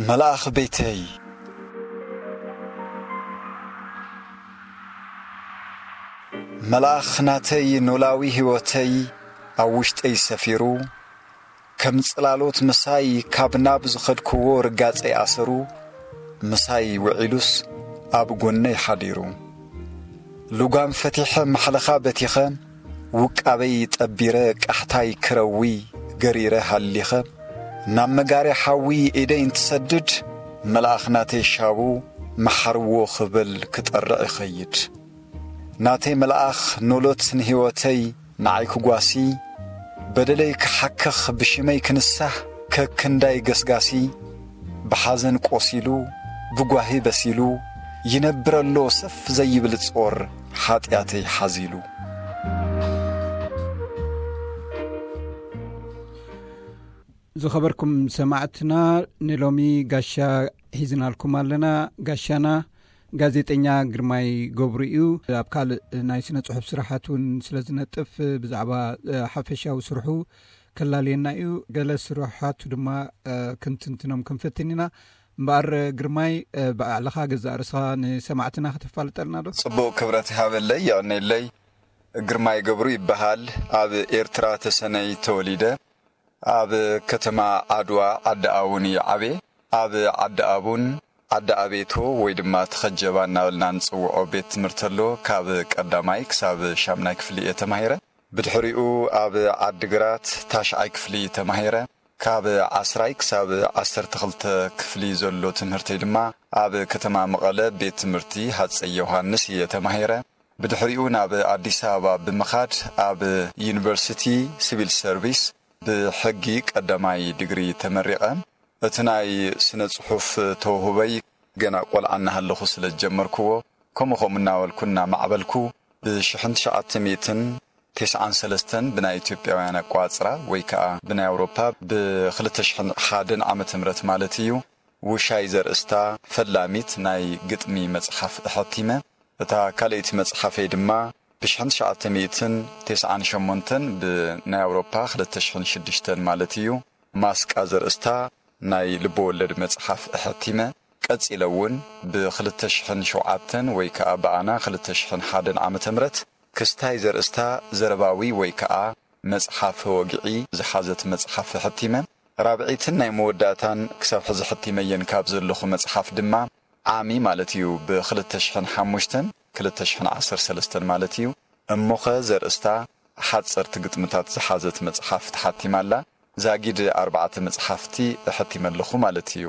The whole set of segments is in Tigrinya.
መልኣኽ ቤተይ፣ መልኣኽ ናተይ ኖላዊ ህይወተይ ኣብ ውሽጠይ ሰፊሩ፣ ከም ጽላሎት ምሳይ ካብ ናብ ዝኸድክዎ ርጋጸይ ኣሰሩ፣ ምሳይ ውዒሉስ ኣብ ጎነይ ሓዲሩ። ልጓም ፈቲሐ ማሕለኻ በቲኸ፣ ውቃበይ ጠቢረ ቃሕታይ ክረዊ ገሪረ ሃሊኸ፣ ናብ መጋርያ ሓዊ ኢደይ እንትሰድድ፣ መልኣኽ ናተይ ሻቡ መሓርዎ ክብል ክጠርዕ ይኸይድ። ናተይ መልኣኽ ኖሎት ንህይወተይ ንዓይ ክጓሲ፣ በደለይ ክሓክኽ ብሽመይ ክንሳህ ከክንዳይ ገስጋሲ፣ ብሓዘን ቆሲሉ ብጓሂ በሲሉ፣ ይነብረሎ ሰፍ ዘይብል ጾር ሓጢኣተይ ሓዚሉ። ዝኸበርኩም ሰማዕትና፣ ንሎሚ ጋሻ ሒዝናልኩም ኣለና። ጋሻና ጋዜጠኛ ግርማይ ገብሩ እዩ። ኣብ ካልእ ናይ ስነ ጽሑፍ ስራሓት እውን ስለ ዝነጥፍ፣ ብዛዕባ ሓፈሻዊ ስርሑ ከላልየና እዩ። ገለ ስራሓቱ ድማ ክንትንትኖም ክንፍትን ኢና። እምበኣር ግርማይ፣ ባዕልኻ ገዛእ ርእስኻ ንሰማዕትና ከተፋልጠልና ዶ? ጽቡቕ፣ ክብረት ይሃበለይ፣ የቐነየለይ። ግርማይ ገብሩ ይበሃል። ኣብ ኤርትራ ተሰነይ ተወሊደ። ኣብ ከተማ ዓድዋ ዓዲ ኣቡን እየ ዓብየ። ኣብ ዓዲ ኣቡን ዓዲ ኣቤቶ ወይ ድማ ተኸጀባ እናበልና ንጽውዖ ቤት ትምህርቲ ኣሎ። ካብ ቀዳማይ ክሳብ ሻምናይ ክፍሊ እየ ተማሂረ። ብድሕሪኡ ኣብ ዓዲግራት ታሽዓይ ክፍሊ ተማሂረ። ካብ ዓስራይ ክሳብ ዓሰርተ ክልተ ክፍሊ ዘሎ ትምህርተይ ድማ ኣብ ከተማ መቐለ ቤት ትምህርቲ ሃፀይ ዮሃንስ እየ ተማሂረ። ብድሕሪኡ ናብ ኣዲስ ኣበባ ብምኻድ ኣብ ዩኒቨርሲቲ ሲቪል ሰርቪስ ብሕጊ ቀዳማይ ዲግሪ ተመሪቐ። እቲ ናይ ስነ ጽሑፍ ተውህቦይ ገና ቆልዓ እናሃለኹ ስለ ዝጀመርክዎ፣ ከምኡ ከምኡ እናበልኩ እናማዕበልኩ፣ ብሽሕን ትሽዓተ ሚእትን ተስዓን ሰለስተን ብናይ ኢትዮጵያውያን ኣቋጽራ ወይ ከኣ ብናይ ኣውሮፓ ብክልተ ሽሕን ሓደን ዓመተ ምህረት ማለት እዩ፣ ውሻይ ዘርእስታ ፈላሚት ናይ ግጥሚ መጽሓፍ ኣሐቲመ። እታ ካልኣይቲ መጽሓፈይ ድማ ብሽሕን ትሽዓተ ሚእትን ተስዓን ሸሞንተን ብናይ ኣውሮፓ ክልተ ሽሕን ሽዱሽተን ማለት እዩ፣ ማስቃ ዘርእስታ ናይ ልበወለድ መጽሓፍ ኣሐቲመ። ቀጺለ እውን ብክልተ ሽሕን ሸውዓተን ወይ ከኣ ብኣና ክልተ ሽሕን ሓደን ዓመተ ምህረት ክስታይ ዘርእስታ ዘረባዊ ወይ ከኣ መጽሓፍ ወግዒ ዝሓዘት መጽሓፍ ኣሐቲመ። ራብዒትን ናይ መወዳእታን ክሳብ ሕዚ ሕቲመየን ካብ ዘለኹ መጽሓፍ ድማ ዓሚ ማለት እዩ፣ ብክልተ ሽሕን ሓሙሽተን ክልተ ሽሕን ዓሰርተ ሰለስተን ማለት እዩ። እሞኸ ዘርእስታ ሓጸርቲ ግጥምታት ዝሓዘት መጽሓፍ ተሓቲማ ኣላ። ዛጊድ ኣርባዕተ መጽሓፍቲ እሐቲመ ኣለኹ ማለት እዩ።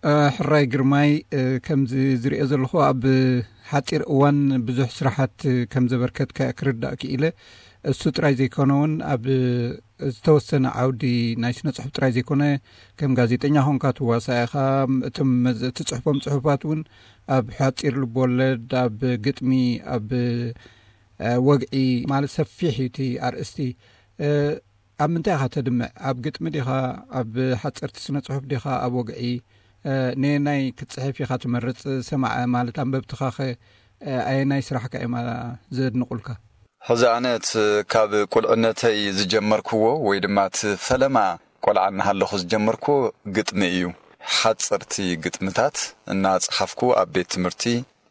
እ፣ ሕራይ ግርማይ፣ እ፣ ከምዚ ዝሪኦ ዘለኹ ኣብ ሓጺር እዋን ብዙሕ ስራሓት ከም ዘበርከትካ ክርዳእ ክኢለ። እሱ ጥራይ ዘይኮነ እውን ኣብ ዝተወሰነ ዓውዲ ናይ ስነ ጽሑፍ ጥራይ ዘይኮነ ከም ጋዜጠኛ ኾንካ ትዋሳእ ኢኻ። እቶም መዝ-፣ እትጽሕፎም ጽሑፋት እውን ኣብ ሓጺር ልቦወለድ፣ ኣብ ግጥሚ፣ ኣብ፣ እ፣ ወግዒ ማለት ሰፊሕ እዩ እቲ ኣርእስቲ። እ፣ ኣብ ምንታይ ኢኻ ተድምዕ? ኣብ ግጥሚ ዲኻ? ኣብ ሓጸርቲ ስነ ጽሑፍ ዲኻ? ኣብ ወግዒ? እ፣ ነየናይ ክትጽሕፍ ኢኻ ትመርጽ? ሰማዕ ማለት ኣንበብትኻኸ፣ እ፣ ኣየናይ ስራሕካ እዮም፣ ኣ፣ ዘድንቑልካ? ሕዚ ኣነ እቲ ካብ ቁልዕነተይ ዝጀመርክዎ ወይ ድማ እቲ ፈለማ ቆልዓ እናሃለኹ ዝጀመርክዎ ግጥሚ እዩ። ሓጸርቲ ግጥምታት እናጸሓፍኩ ኣብ ቤት ትምህርቲ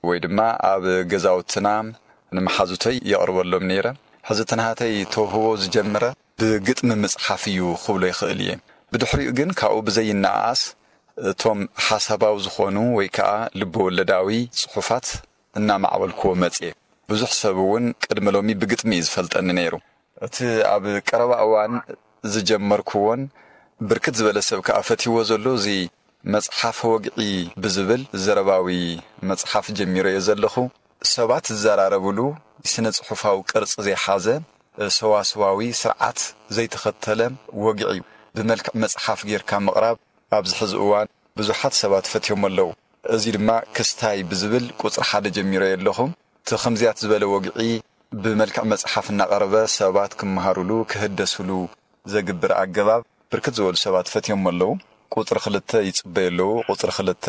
ወይ ድማ ኣብ ገዛውትና ንመሓዙተይ የቕርበሎም ነይረ። ሕዚ እቲ ናሃተይ ተውህቦ ዝጀመረ ብግጥሚ ምጽሓፍ እዩ ክብሎ ይኽእል እየ። ብድሕሪኡ ግን ካብኡ ብዘይነኣኣስ እቶም ሓሳባዊ ዝኾኑ ወይ ከኣ ልበወለዳዊ ጽሑፋት እናማዕበልክዎ መጽየ። ብዙሕ ሰብ እውን ቅድሚ ሎሚ ብግጥሚ እዩ ዝፈልጠኒ ነይሩ። እቲ ኣብ ቀረባ እዋን ዝጀመርክዎን ብርክት ዝበለ ሰብ ከኣ ፈትይዎ ዘሎ እዚ መጽሓፍ ወግዒ ብዝብል ዘረባዊ መጽሓፍ ጀሚረዮ ዘለኹ። ሰባት ዝዘራረብሉ ስነ ጽሑፋዊ ቅርጺ ዘይሓዘ፣ ሰዋስዋዊ ስርዓት ዘይተኸተለ ወግዒ እዩ። ብመልክዕ መጽሓፍ ጌርካ ምቕራብ ኣብዚ ሕዚ እዋን ብዙሓት ሰባት ፈትዮም ኣለዉ። እዚ ድማ ክስታይ ብዝብል ቁጽሪ ሓደ ጀሚረዮ ኣለኹ። እቲ ከምዚያት ዝበለ ወግዒ ብመልክዕ መጽሓፍ እናቐረበ ሰባት ክመሃሩሉ፣ ክህደሱሉ ዘግብር ኣገባብ ብርክት ዝበሉ ሰባት ፈትዮም ኣለዉ። ቁጽሪ ክልተ ይጽበዩ ኣለዉ። ቁጽሪ ክልተ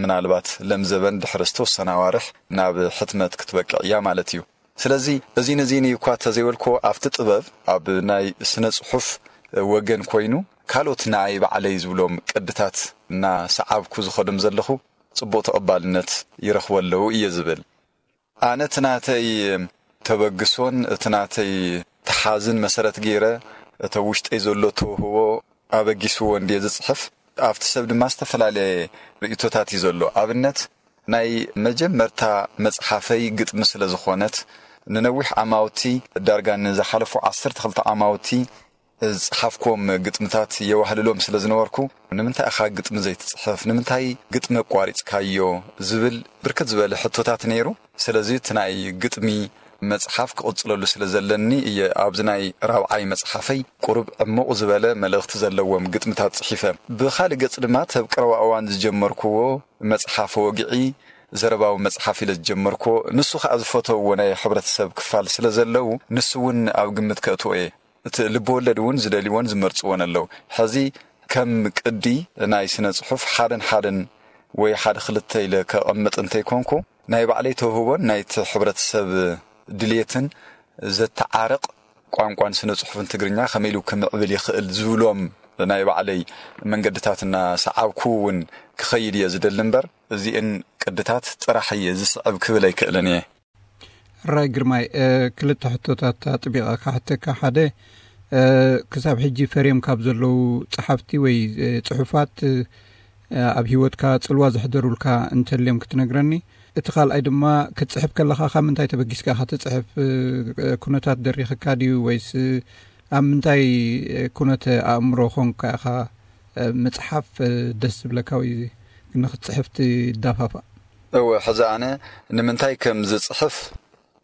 ምናልባት ለምዘበን ድሕሪ ዝተወሰነ ኣዋርሕ ናብ ሕትመት ክትበቅዕ እያ ማለት እዩ። ስለዚ እዚን እዚን እዩ እኳ ተዘይበልኮ ኣብቲ ጥበብ ኣብ ናይ ስነ ጽሑፍ ወገን ኮይኑ ካልኦት ንኣይ ባዕለይ ዝብሎም ቅድታት እናሰዓብኩ ዝኸዶም ዘለኹ ጽቡቕ ተቐባልነት ይረኽቡ ኣለዉ እየ ዝብል። ኣነ እቲ ናተይ ተበግሶን እቲ ናተይ ተሓዝን መሰረት ገይረ፣ እቲ ውሽጠይ ዘሎ ተውህቦ ኣበጊስዎ እንድየ ዝጽሕፍ። ኣብቲ ሰብ ድማ ዝተፈላለየ ርእይቶታት እዩ ዘሎ። ኣብነት፣ ናይ መጀመርታ መጽሓፈይ ግጥሚ ስለ ዝኾነት፣ ንነዊሕ ዓማውቲ፣ ዳርጋ ንዝሓለፉ ዓሰርተ ክልተ ዓማውቲ ዝጸሓፍክዎም ግጥምታት የዋህልሎም ስለ ዝነበርኩ፣ "ንምንታይ ኢኻ ግጥሚ ዘይትጽሕፍ? ንምንታይ ግጥሚ ኣቋሪጽካዮ?" ዝብል ብርክት ዝበለ ሕቶታት ነይሩ። ስለዚ እቲ ናይ ግጥሚ መጽሓፍ ክቕጽለሉ ስለ ዘለኒ እየ ኣብዚ ናይ ራብዓይ መጽሓፈይ ቁሩብ ዕሙቕ ዝበለ መልእኽቲ ዘለዎም ግጥምታት ጽሒፈ። ብኻልእ ገጽ ድማ፣ እቲ ኣብ ቀረባ እዋን ዝጀመርክዎ መጽሓፍ ወግዒ፣ ዘረባዊ መጽሓፍ ኢለ ዝጀመርክዎ፣ ንሱ ኸኣ ዝፈተውዎ ናይ ሕብረተሰብ ክፋል ስለ ዘለዉ፣ ንሱ እውን ኣብ ግምት ከእትዎ እየ። እቲ ልብወለድ እውን ዝደልይዎን ዝመርጽዎን ኣለዉ። ሕዚ ከም ቅዲ ናይ ስነ ጽሑፍ ሓደን ሓደን ወይ ሓደ ክልተ ኢለ ከቐምጥ እንተይኮንኩ፣ ናይ ባዕለይ ተውህቦን ናይቲ ሕብረተሰብ ድልየትን ዘተዓርቕ ቋንቋን ስነ ጽሑፍን ትግርኛ ከመይ ኢሉ ክምዕብል ይኽእል ዝብሎም ናይ ባዕለይ መንገድታት እናሰዓብኩ እውን ክኸይድ እየ ዝደሊ እምበር፣ እዚእን ቅድታት ጥራሕ እየ ዝስዕብ ክብል ኣይክእልን እየ። ሕራይ ግርማይ፣ እ፣ ክልተ ሕቶታት ኣጥቢቐ ክሓተካ። ሓደ፣ እ፣ ክሳብ ሕጂ ፈርዮም ካብ ዘለዉ ጸሓፍቲ ወይ፣ እ፣ ጽሑፋት፣ እ፣ ኣብ ህይወትካ ጽልዋ ዘሕደሩልካ እንተልዮም ክትነግረኒ። እቲ ካልኣይ ድማ፣ ክትጽሕፍ ከለኻ ካብ ምንታይ ተበጊስካ ኢኻ ትጽሕፍ? እ፣ ኩነታት ደሪኽካ ድዩ ወይስ ኣብ ምንታይ ኩነተ ኣእምሮ ኾንካ ኢኻ፣ እ፣ ምጽሓፍ፣ እ፣ ደስ ዝብለካ ወይ ንኽትጽሕፍ ትዳፋፋእ? እወ፣ ሕዚ ኣነ ንምንታይ ከም ዝጽሕፍ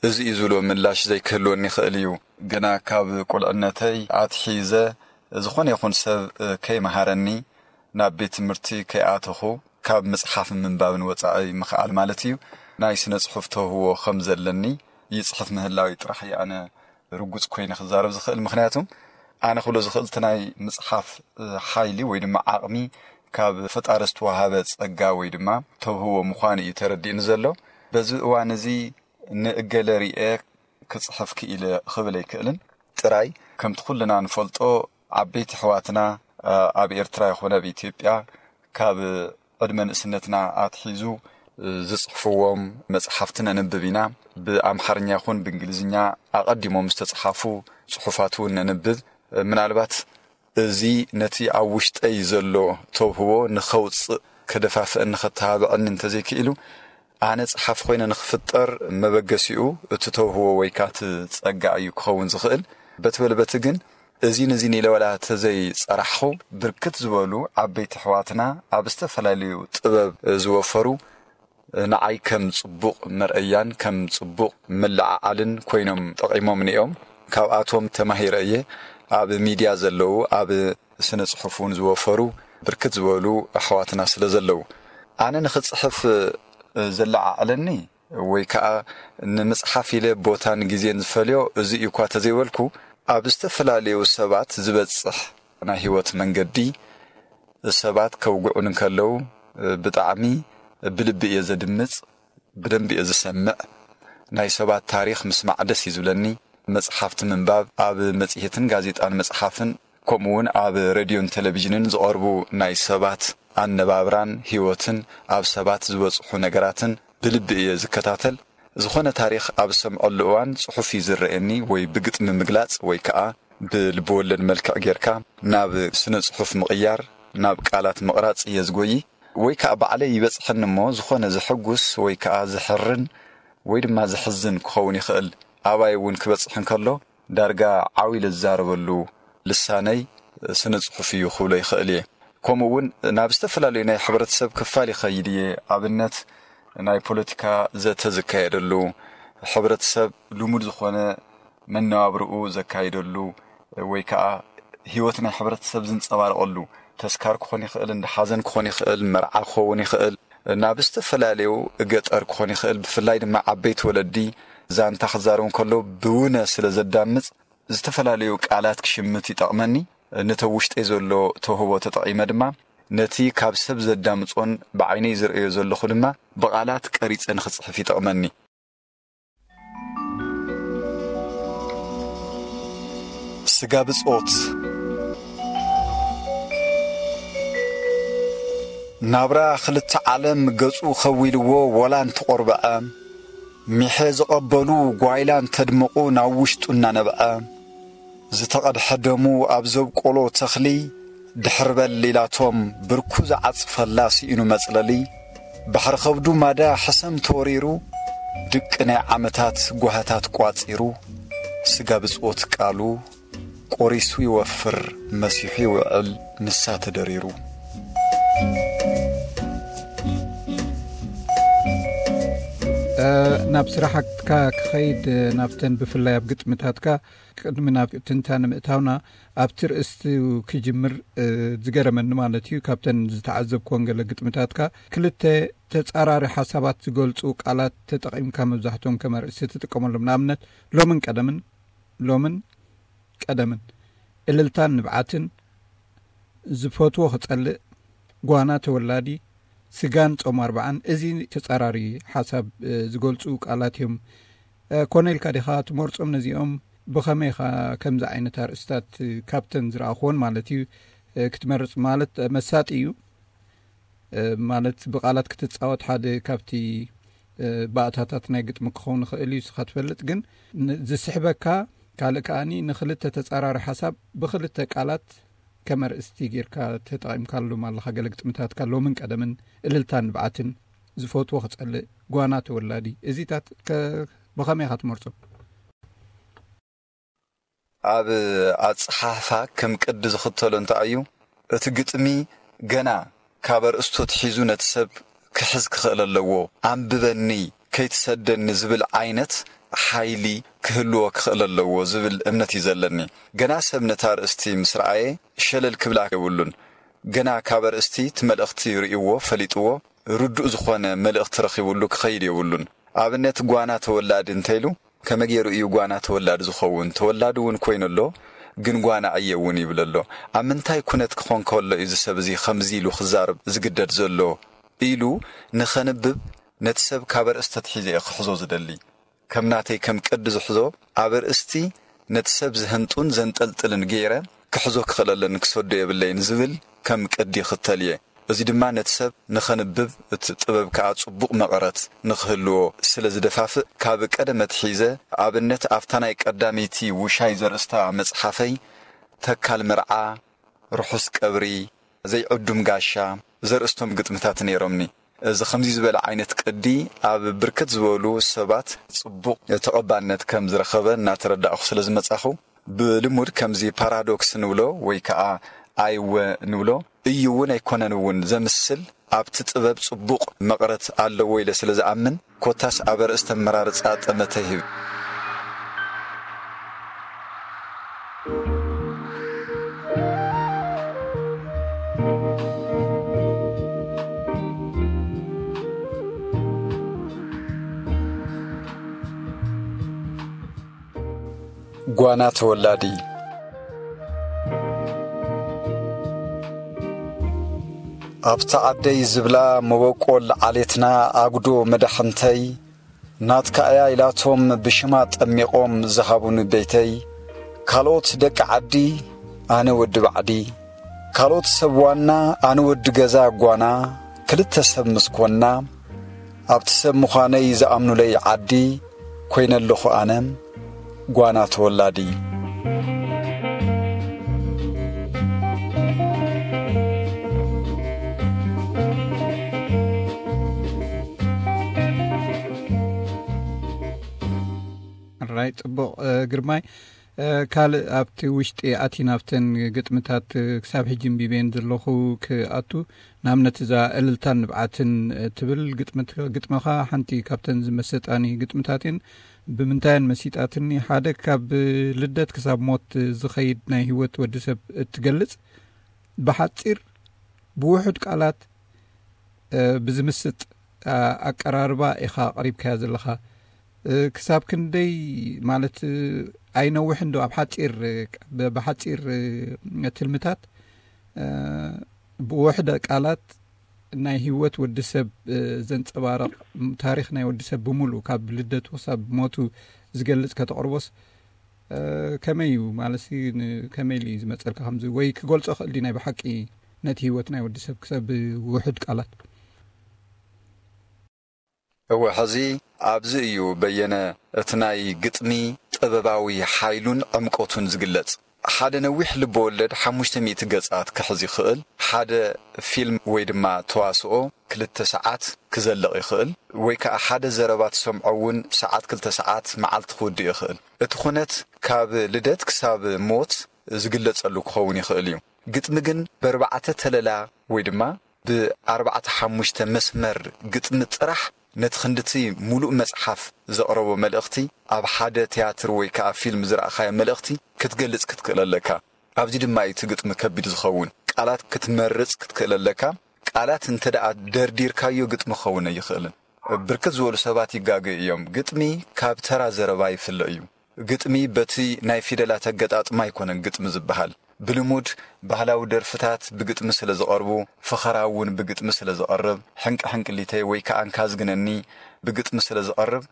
እዚ እዩ ዝብሎ ምላሽ ዘይክህልወኒ ይኽእል እዩ። ገና ካብ ቁልዕነተይ ኣትሒዘ ዝኾነ ይኹን ሰብ፣ እ፣ ከይመሃረኒ፣ ናብ ቤት ትምህርቲ ከይኣተኹ፣ ካብ ምጽሓፍን ምንባብን ወጻኢ ምኽኣል ማለት እዩ፣ ናይ ስነ ጽሑፍ ተውህቦ ከም ዘለኒ ይጽሕፍ ምህላወይ ጥራሕ እዩ ኣነ ርጉጽ ኮይነ ክዛረብ ዝኽእል። ምኽንያቱ ኣነ ክብሎ ዝኽእል እቲ ናይ ምጽሓፍ፣ እ፣ ሓይሊ ወይ ድማ ዓቕሚ ካብ ፈጣሪ ዝተዋሃበ ጸጋ ወይ ድማ ተውህቦ ምዃኑ እዩ ተረዲእኒ ዘሎ። በዚ እዋን እዚ ንእገለ ርኤ ክጽሕፍ ክኢለ ክብል ኣይክእልን። ጥራይ ከምቲ ኩልና ንፈልጦ ዓበይቲ ኣሕዋትና፣ እ፣ ኣብ ኤርትራ ይኹን ኣብ ኢትዮጵያ ካብ ዕድመ ንእስነትና ኣትሒዙ፣ እ፣ ዝጽሕፍዎም መጽሓፍቲ ነንብብ ኢና። ብኣምሓርኛ ይኹን ብእንግሊዝኛ ኣቐዲሞም ዝተጽሓፉ ጽሑፋት እውን ነንብብ። እ፣ ምናልባት እዚ ነቲ ኣብ ውሽጠይ ዘሎ ተውህቦ ንኸውጽእ ከደፋፍአኒ፣ ኸተባብዐኒ እንተዘይክኢሉ፣ ኣነ ጸሓፊ ኮይነ ንኽፍጠር መበገሲኡ እቲ ተውህቦ ወይ ከኣ እቲ ጸጋ እዩ ክኸውን ዝኽእል። በቲ በለ በቲ ግን፣ እዚን እዚን ኢለ ዋላ ተዘይጸራሕኹ፣ ብርክት ዝበሉ ዓበይቲ ኣሕዋትና ኣብ ዝተፈላለዩ ጥበብ ዝወፈሩ፣ ንዓይ ከም ጽቡቕ መርኣያን ከም ጽቡቕ መለዓዓልን ኮይኖም ጠቒሞምኒ እዮም። ካብኣቶም ተማሂረ እየ። ኣብ ሚድያ ዘለዉ፣ ኣብ ስነ ጽሑፍ እውን ዝወፈሩ ብርክት ዝበሉ ኣሕዋትና ስለ ዘለዉ፣ ኣነ ንኽጽሕፍ ዘለዓዕለኒ ወይ ከኣ ንምጽሓፍ ኢለ ቦታን ግዜን ዝፈልዮ እዚ እዩ እኳ ተዘይበልኩ፣ ኣብ ዝተፈላለዩ ሰባት ዝበጽሕ ናይ ህይወት መንገዲ፣ ሰባት ከውግዑኒ እንከለዉ፣ ብጣዕሚ ብልቢ እየ ዘድምጽ፣ ብደንቢ እየ ዝሰምዕ። ናይ ሰባት ታሪኽ ምስማዕ ደስ እዩ ዝብለኒ። መጽሓፍቲ ምንባብ፣ ኣብ መጽሔትን ጋዜጣን ምጽሓፍን፣ ከምኡ እውን ኣብ ሬድዮን ቴሌቪዥንን ዝቐርቡ ናይ ሰባት ኣነባብራን ህይወትን፣ ኣብ ሰባት ዝበጽሑ ነገራትን ብልቢ እየ ዝከታተል። ዝኾነ ታሪኽ ኣብ ዝሰምዐሉ እዋን፣ ጽሑፍ እዩ ዝረኣየኒ፣ ወይ ብግጥሚ ምግላጽ ወይ ከኣ ብልብወለድ መልክዕ ጌርካ ናብ ስነ ጽሑፍ ምቕያር፣ ናብ ቃላት ምቕራጽ እየ ዝጎዪ። ወይ ከኣ ባዕለይ ይበጽሐኒ እሞ፣ ዝኾነ ዘሐጉስ ወይ ከኣ ዘሕርን ወይ ድማ ዘሕዝን ክኸውን ይኽእል። ኣባይ እውን ክበጽሕ እንከሎ፣ ዳርጋ ዓው ኢለ ዝዛረበሉ ልሳነይ ስነ ጽሑፍ እዩ ክብሎ ይኽእል እየ። ከምኡ እውን ናብ ዝተፈላለዩ ናይ ሕብረተሰብ ክፋል ይኸይድ እየ። ኣብነት፣ ናይ ፖለቲካ ዘተ ዝካየደሉ፣ ሕብረተሰብ ልሙድ ዝኾነ መነባብርኡ ዘካይደሉ፣ ወይ ከኣ ህይወት ናይ ሕብረተሰብ ዝንጸባረቐሉ፣ ተስካር ክኾን ይኽእል፣ እንዳ ሓዘን ክኾን ይኽእል፣ መርዓ ክኸውን ይኽእል፣ ናብ ዝተፈላለዩ ገጠር ክኾን ይኽእል፣ ብፍላይ ድማ ዓበይቲ ወለዲ ዛንታ ክዛረቡ እንከለዉ ብውነ ስለ ዘዳምጽ፣ ዝተፈላለዩ ቃላት ክሽምት ይጠቕመኒ። ነቲ ኣብ ውሽጠይ ዘሎ ተውህቦ ተጠቒመ ድማ፣ ነቲ ካብ ሰብ ዘዳምጾን ብዓይነይ ዝርእዮ ዘለኹ ድማ ብቓላት ቀሪጸ ንኽጽሕፍ ይጠቕመኒ። ስጋ ብጾት። ናብራ ክልተ ዓለም ገጹ ከዊልዎ ወላ እንተቖርበዐ፣ ሚሐ ዝቐበሉ ጓይላ እንተድመቑ ናብ ውሽጡ እናነብዐ፣ ዝተቐድሐ ደሙ ኣብ ዘብቆሎ ተኽሊ ድሕር በል ኢላቶም ብርኩ ዝዓጽፈላ ስኢኑ መጽለሊ፣ ባሕሪ ከብዱ ማዳ ሕሰም ተወሪሩ፣ ድቂ ናይ ዓመታት ጓህታት ቋጺሩ፣ ስጋ ብጽኦት ቃሉ ቆሪሱ ይወፍር፣ መሲሑ ይውዕል፣ ንሳ ተደሪሩ። እ፣ ናብ ስራሓትካ ክኸይድ፣ ናብተን ብፍላይ ኣብ ግጥምታትካ፣ ቅድሚ ናብ ትንታነ ምእታውና፣ ኣብቲ ርእስቲ ክጅምር፣ እ፣ ዝገረመኒ ማለት እዩ፣ ካብተን ዝተዓዘብኩወን ገለ ግጥምታትካ፣ ክልተ ተጻራሪ ሓሳባት ዝገልጹ ቃላት ተጠቒምካ፣ መብዛሕትኦም ከም ኣርእስቲ ትጥቀመሎም። ንኣብነት፣ ሎምን ቀደምን፣ ሎምን ቀደምን፣ እልልታን ንብዓትን፣ ዝፈትዎ ክጸልእ፣ ጓና ተወላዲ፣ ስጋን ጾም ኣርብዓን፣ እዚ ተጻራሪ ሓሳብ፣ እ፣ ዝገልጹ ቃላት እዮም። እ፣ ኮነ ኢልካ ዲኻ ትመርጾም ነዚኦም? ብኸመይ ኢኻ ከምዚ ዓይነት ኣርእስታት፣ እ፣ ካብተን ዝረኣኹወን ማለት እዩ፣ እ፣ ክትመርጽ ማለት፣ እ፣ መሳጢ እዩ። እ፣ ማለት ብቃላት ክትጻወት ሓደ ካብቲ፣ እ፣ ባእታታት ናይ ግጥሚ ክኸውን ይኽእል እዩ፣ ንስኻ ትፈልጥ። ግን ን-፣ ዝስሕበካ ካልእ ከኣኒ ንኽልተ ተጻራሪ ሓሳብ ብኽልተ ቃላት ከም ኣርእስቲ ጌርካ ተጠቒምካሎም ኣለኻ። ገለ ግጥምታትካ ሎምን ቀደምን፣ እልልታን ንብዓትን፣ ዝፈትዎ ክጸልእ፣ ጓና ተወላዲ፣ እዚታት ከ-፣ ብኸመይ ኢኻ ትመርጾም? ኣብ ኣጸሓሕፋ ከም ቅዲ ዝኽተሎ እንታይ እዩ? እቲ ግጥሚ ገና ካብ ኣርእስቱ ኣትሒዙ ነቲ ሰብ ክሕዝ ክኽእል ኣለዎ። ኣንብበኒ፣ ከይትሰደኒ ዝብል ዓይነት ሓይሊ ክህልዎ ክኽእል ኣለዎ ዝብል እምነት እዩ ዘለኒ። ገና ሰብ ነታ ኣርእስቲ ምስ ረኣየ ሸለል ክብላ የብሉን። ገና ካብ ኣርእስቲ እቲ መልእኽቲ ርእይዎ፣ ፈሊጥዎ፣ ርዱእ ዝኾነ መልእኽቲ ረኺቡሉ ክኸይድ የብሉን። ኣብነት ጓና ተወላዲ እንተኢሉ፣ ከመይ ገይሩ እዩ ጓና ተወላዲ ዝኸውን? ተወላዲ እውን ኮይኑ ኣሎ፣ ግን ጓና እየ እውን ይብል ኣሎ። ኣብ ምንታይ ኩነት ክኾን ከሎ እዩ እዚ ሰብ እዚ ከምዚ ኢሉ ክዛረብ ዝግደድ ዘሎ? ኢሉ ንኸንብብ ነቲ ሰብ ካብ ኣርእስቲ ኣትሒዘ እየ ክሕዞ ዝደሊ። ከም ናተይ ከም ቅዲ ዝሕዞ፣ ኣብ ኣርእስቲ ነቲ ሰብ ዝህንጡን ዘንጠልጥልን ገይረ ክሕዞ ክኽእል ኣለኒ፣ ክሰዶ የብለይን ዝብል ከም ቅዲ ይኽተል እየ። እዚ ድማ ነቲ ሰብ ንኸንብብ፣ እቲ ጥበብ ከኣ ጽቡቕ መቐረት ንኽህልዎ ስለ ዝደፋፍእ፣ ካብ ቀደም ኣትሒዘ፣ ኣብነት ኣብታ ናይ ቀዳመይቲ ውሻይ ዘርእስታ መጽሓፈይ፣ ተካል መርዓ፣ ርሑስ ቀብሪ፣ ዘይዕዱም ጋሻ ዘርእስቶም ግጥምታት ነይሮምኒ። እዚ ከምዚ ዝበለ ዓይነት ቅዲ ኣብ ብርክት ዝበሉ ሰባት ጽቡቕ ተቐባልነት ከም ዝረኸበ እናተረዳእኹ ስለ ዝመጻኹ፣ ብልሙድ ከምዚ ፓራዶክስ ንብሎ ወይ ከኣ ኣይወ ንብሎ፣ እዩ እውን ኣይኮነን እውን ዘምስል፣ ኣብቲ ጥበብ ጽቡቕ መቐረት ኣለዎ ኢለ ስለ ዝኣምን፣ ኮታስ ኣብ ኣርእስቲ ኣመራርጻ ጠመተ ይህብ። ጓና ተወላዲ። ኣብታ ዓደይ ዝብላ መበቆል ዓሌትና ኣጉዶ መዳሕንተይ፣ ናትካ እያ ኢላቶም ብሽማ ጠሚቖም ዝሃቡኒ ቤተይ፣ ካልኦት ደቂ ዓዲ፣ ኣነ ወዲ ባዕዲ፣ ካልኦት ሰብ ዋና፣ ኣነ ወዲ ገዛ ጓና፣ ክልተ ሰብ ምስ ኮንና፣ ኣብቲ ሰብ ምዃነይ ዝኣምኑለይ ዓዲ ኮይነ ኣለኹ ኣነ ጓና ተወላዲ። ራይ ጽቡቕ፣ እ፣ ግርማይ። እ፣ ካልእ ኣብቲ ውሽጢ ኣቲ ናብተን ግጥምታት፣ እ፣ ክሳብ ሕጂ እምቢበየን ዘለኹ ክኣቱ፣ ንኣብነት እዛ እልልታን ንብዓትን፣ እ፣ ትብል ግጥምት-፣ ግጥምኻ ሓንቲ ካብተን ዝመሰጣኒ ግጥምታት እየን። ብምንታየን መሲጣትኒ? ሓደ ካብ ልደት ክሳብ ሞት ዝኸይድ ናይ ህይወት ወዲ ሰብ እትገልጽ፣ ብሓጺር ብውሑድ ቃላት፣ እ፣ ብዝምስጥ፣ እ፣ ኣቀራርባ ኢኻ ኣቕሪብካያ ዘለኻ። እ፣ ክሳብ ክንደይ ማለት፣ እ፣ ኣይነውሕን ዶ ኣብ ሓጺር፣ እ፣ ብ-፣ ብሓጺር፣ እ፣ ትልምታት፣ እ፣ ብውሕደ ቃላት ናይ ህይወት ወዲ ሰብ፣ እ፣ ዘንጸባርቕ፣ ም-፣ ታሪኽ ናይ ወዲ ሰብ ብምሉእ ካብ ልደቱ ክሳብ ሞቱ ዝገልጽ ከተቕርቦስ፣ እ፣ ከመይ እዩ? ማለትሲ ን-፣ ከመይ ኢሉ እዩ ዝመጸልካ ከምዚ? ወይ ክገልጾ ክእል ድዩ ናይ ብሓቂ? ነቲ ህይወት ናይ ወዲ ሰብ ክሰብ ውሑድ ቃላት። እወ፣ ሕዚ ኣብዚ እዩ በየነ እቲ ናይ ግጥሚ ጥበባዊ ሓይሉን ዕምቆቱን ዝግለጽ። ሓደ ነዊሕ ልበወለድ ሓሙሽተ ሚእቲ ገጻት ክሕዝ ይኽእል። ሓደ ፊልም ወይ ድማ ተዋስኦ ክልተ ሰዓት ክዘልቕ ይኽእል። ወይ ከኣ ሓደ ዘረባ ትሰምዖ እውን ሰዓት፣ ክልተ ሰዓት፣ መዓልቲ ክውድእ ይኽእል። እቲ ኩነት ካብ ልደት ክሳብ ሞት ዝግለጸሉ ክኸውን ይኽእል እዩ። ግጥሚ ግን በርባዕተ ተለላ ወይ ድማ ብኣርባዕተ ሓሙሽተ መስመር ግጥሚ ጥራሕ ነቲ ክንድቲ ሙሉእ መጽሓፍ ዘቕረቦ መልእኽቲ ኣብ ሓደ ትያትር ወይ ከኣ ፊልም ዝረኣኻዮ መልእኽቲ ክትገልጽ ክትክእል ኣለካ። ኣብዚ ድማ እዩ እቲ ግጥሚ ከቢድ ዝኸውን። ቃላት ክትመርጽ ክትክእል ኣለካ። ቃላት እንተ ደኣ ደርዲርካዮ ግጥሚ ክኸውን ኣይኽእልን። ብርክት ዝበሉ ሰባት ይጋገዩ እዮም። ግጥሚ ካብ ተራ ዘረባ ይፍለ እዩ። ግጥሚ በቲ ናይ ፊደላት ኣገጣጥማ ኣይኮነን ግጥሚ ዝበሃል። ብልሙድ ባህላዊ ደርፍታት ብግጥሚ ስለ ዝቐርቡ፣ ፈኸራ እውን ብግጥሚ ስለ ዝቐርብ፣ ሕንቂ ሕንቅሊተይ ወይ ከኣ እንካ ዝግነኒ ብግጥሚ ስለ ዝቐርብ፣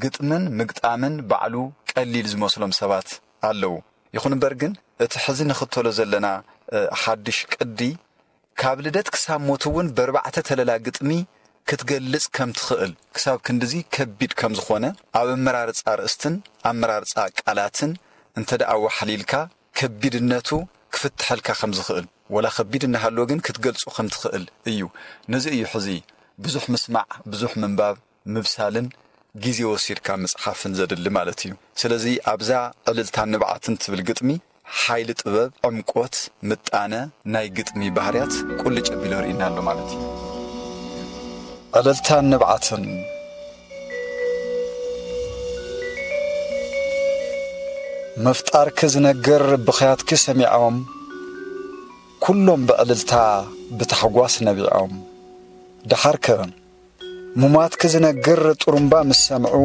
ግጥምን ምግጣምን ባዕሉ ቀሊል ዝመስሎም ሰባት ኣለዉ። ይኹን እምበር ግን እቲ ሕዚ ንኽተሎ ዘለና፣ እ፣ ሓድሽ ቅዲ ካብ ልደት ክሳብ ሞት እውን በርባዕተ ተለላ ግጥሚ ክትገልጽ ከም ትኽእል፣ ክሳብ ክንድዚ ከቢድ ከም ዝኾነ ኣብ ኣመራርጻ ኣርእስትን ኣመራርጻ ቃላትን እንተ ደኣ ወሓሊልካ ከቢድነቱ ክፍትሐልካ ከም ዝኽእል፣ ወላ ከቢድ እናሃለወ ግን ክትገልጾ ከም ትኽእል እዩ። ነዚ እዩ ሕዚ ብዙሕ ምስማዕ፣ ብዙሕ ምንባብ፣ ምብሳልን ግዜ ወሲድካ ምጽሓፍን ዘድሊ ማለት እዩ። ስለዚ ኣብዛ ዕልልታን ንብዓትን ትብል ግጥሚ ሓይሊ ጥበብ፣ ዕምቆት፣ ምጣነ ናይ ግጥሚ ባህርያት ቁልጭ ኣቢሉ ርኢና ኣሎ ማለት እዩ። ዕልልታን ንብዓትን። ምፍጣርኪ ዝነግር ብኽያትኪ ሰሚዖም፣ ኩሎም ብዕልልታ ብታሕጓስ ነቢዖም። ደሓርከ ሙማትኪ ዝነግር ጥሩምባ ምስ ሰምዑ፣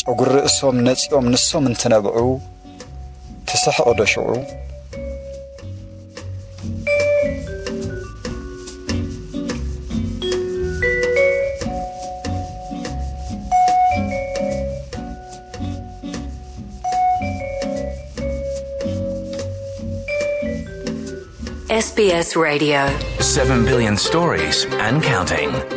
ጨጉሪ ርእሶም ነጺኦም ንሶም እንትነብዑ፣ ትስሕቕ ዶ ሽዑ? S B S Radio. Seven billion stories and counting.